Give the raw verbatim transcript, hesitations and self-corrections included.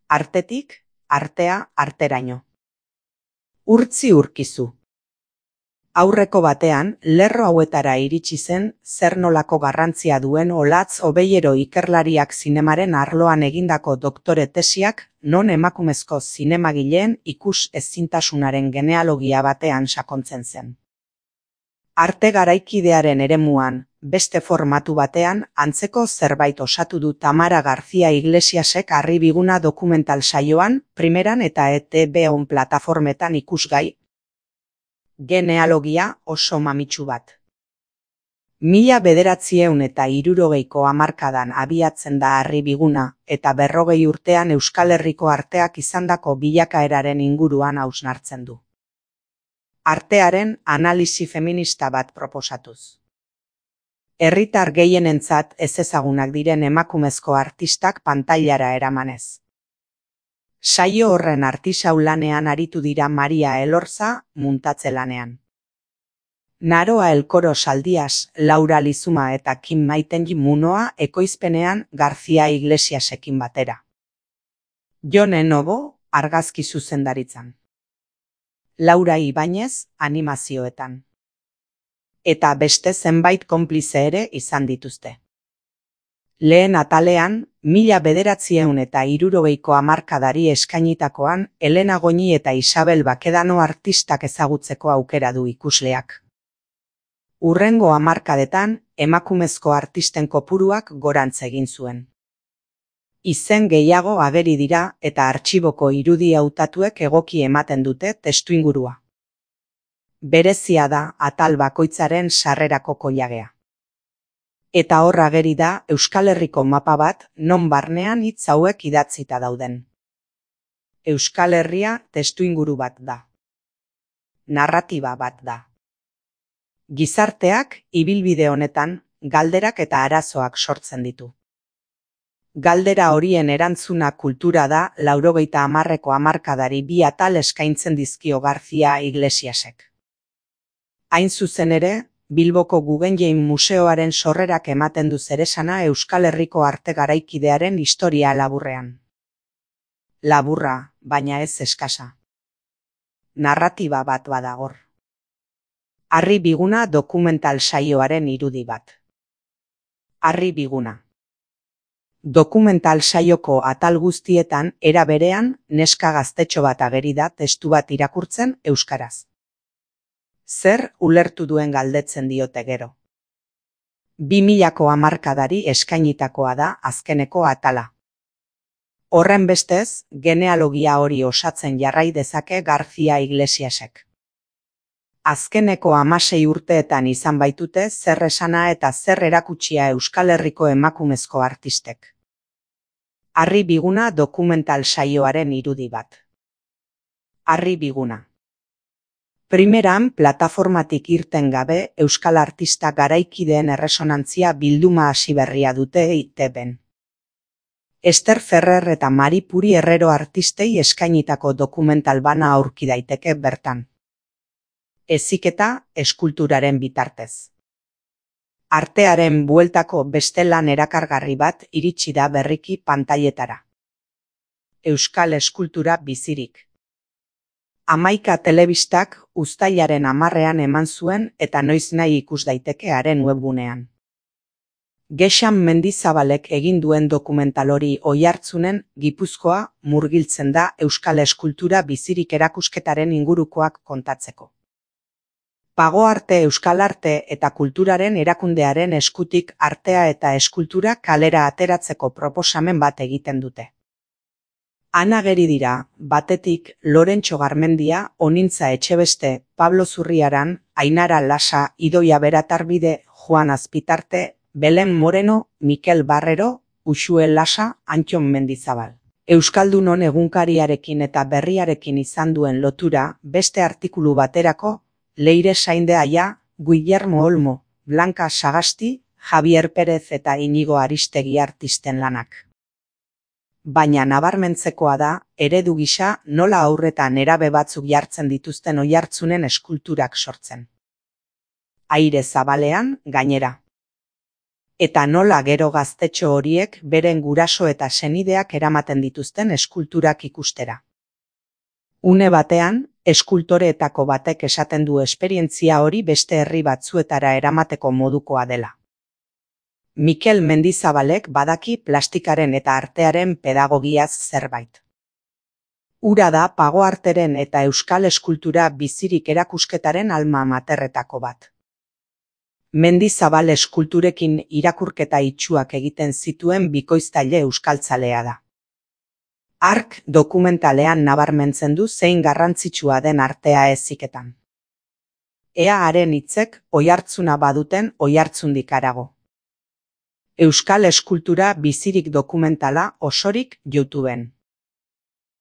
artetik, artea, arteraino. Urtzi urkizu. Aurreko batean, lerro hauetara iritsi zen zer nolako garrantzia duen Olatz Obeiero ikerlariak zinemaren arloan egindako doktore tesiak, non emakumezko zinemagileen ikus ezintasunaren genealogia batean sakontzen zen. Arte garaikidearen eremuan, beste formatu batean, antzeko zerbait osatu du Tamara García Iglesiasek Harri Biguna dokumental saioan, primeran eta E T B on plataformetan ikusgai. Genealogia oso mamitsu bat. Mila bederatziehun eta hirurogeiko hamarkadan abiatzen da Harri Biguna, eta berrogei urtean Euskal Herriko arteak izandako bilakaeraren inguruan hausnartzen du. Artearen analisi feminista bat proposatuz. Herritar gehienentzat ezezagunak diren emakumezko artistak pantailara eramanez. Saio horren artisau lanean aritu dira Maria Elorza, muntatze lanean. Naroa Elkoro Saldias, Laura Lizuma eta Kim Maitenji Munoa ekoizpenean García Iglesiasekin batera. Jone Novo, argazki zuzendaritzan. Laura Ibañez, animazioetan. Eta beste zenbait konplize ere izan dituzte. Lehen atalean, mila bederatziehun eta hirurogeiko hamarkadari eskainitakoan, Elena Goñi eta Isabel Bakedano artistak ezagutzeko aukera du ikusleak. Hurrengo hamarkadetan, emakumezko artisten kopuruak gorantz egin zuen. Izen gehiago ageri dira eta artxiboko irudi hautatuek egoki ematen dute testuingurua. Berezia da atal bakoitzaren sarrerako koilagea. Eta hor ageri da Euskal Herriko mapa bat non barnean hitz hauek idatzita dauden. Euskal Herria testuinguru bat da. Narratiba bat da. Gizarteak ibilbide honetan galderak eta arazoak sortzen ditu. Galdera horien erantzuna kultura da laurogeita hamarreko hamarkadari bi atal eskaintzen dizkio García Iglesiasek. Hain zuzen ere, Bilboko Guggenheim Museoaren sorrerak ematen du zeresana Euskal Herriko arte garaikidearen historia laburrean. Laburra, baina ez eskasa. Narratiba bat badagor. Harri Biguna dokumental saioaren irudi bat. Harri Biguna. Dokumental saioko atal guztietan era berean neska gaztetxo bat ageri da testu bat irakurtzen euskaraz. Zer ulertu duen galdetzen diote gero. Bi milako hamarkadari eskainitakoa da azkeneko atala. Horren bestez, genealogia hori osatzen jarrai dezake García Iglesiasek. Azkeneko hamasei urteetan izan baitute zer esana eta zer erakutsia Euskal Herriko emakumezko artistek. Harri Biguna dokumental saioaren irudi bat. Harri Biguna. Primeran, plataformatik irten gabe, Euskal artista garaikideen erresonantzia bilduma hasi berria dute E T Bn. Ester Ferrer eta Mari Puri Herrero artistei eskainitako dokumental bana aurki daiteke bertan. Heziketa, eskulturaren bitartez. Artearen bueltako beste lan erakargarri bat iritsi da berriki pantailetara. Euskal eskultura bizirik. Hamaika telebistak uztailaren hamarrean eman zuen eta noiz nahi ikus daiteke haren webgunean. Gexan Mendizabalek egin duen dokumental hori Oiartzunen, Gipuzkoa, murgiltzen da Euskal eskultura bizirik erakusketaren ingurukoak kontatzeko. Pago arte Euskal arte eta kulturaren erakundearen eskutik artea eta eskultura kalera ateratzeko proposamen bat egiten dute. Han ageri dira, batetik Lorentxo Garmendia, Onintza Etxebeste, Pablo Zurriaran, Ainara Lasa, Idoia Beratarbide, Juan Azpitarte, Belen Moreno, Mikel Barrero, Uxue Lasa, Antxon Mendizabal. Euskaldunon egunkariarekin eta berriarekin izan duen lotura, beste artikulu baterako, Leire Sainde Aia, Guillermo Olmo, Blanca Sagasti, Javier Pérez eta Inigo Aristegi artisten lanak. Baina nabarmentzekoa da, eredu gisa nola aurretan nerabe batzuk jartzen dituzten Oiartzunen eskulturak sortzen. Aire zabalean, gainera. eta nola gero gaztetxo horiek beren guraso eta senideak eramaten dituzten eskulturak ikustera. Une batean, eskultoreetako batek esaten du esperientzia hori beste herri batzuetara eramateko modukoa dela. Mikel Mendizabalek badaki plastikaren eta artearen pedagogiaz zerbait. Hura da pagoarteren eta euskal eskultura bizirik erakusketaren alma materretako bat. Mendizabal eskulturekin irakurketa itsuak egiten zituen bikoiztaile euskaltzalea da. Hark dokumentalean nabarmentzen du zein garrantzitsua den artea heziketan. Ea haren hitzek oihartzuna baduten oihartzundik harago. Euskal eskultura bizirik dokumentala osorik YouTubeen.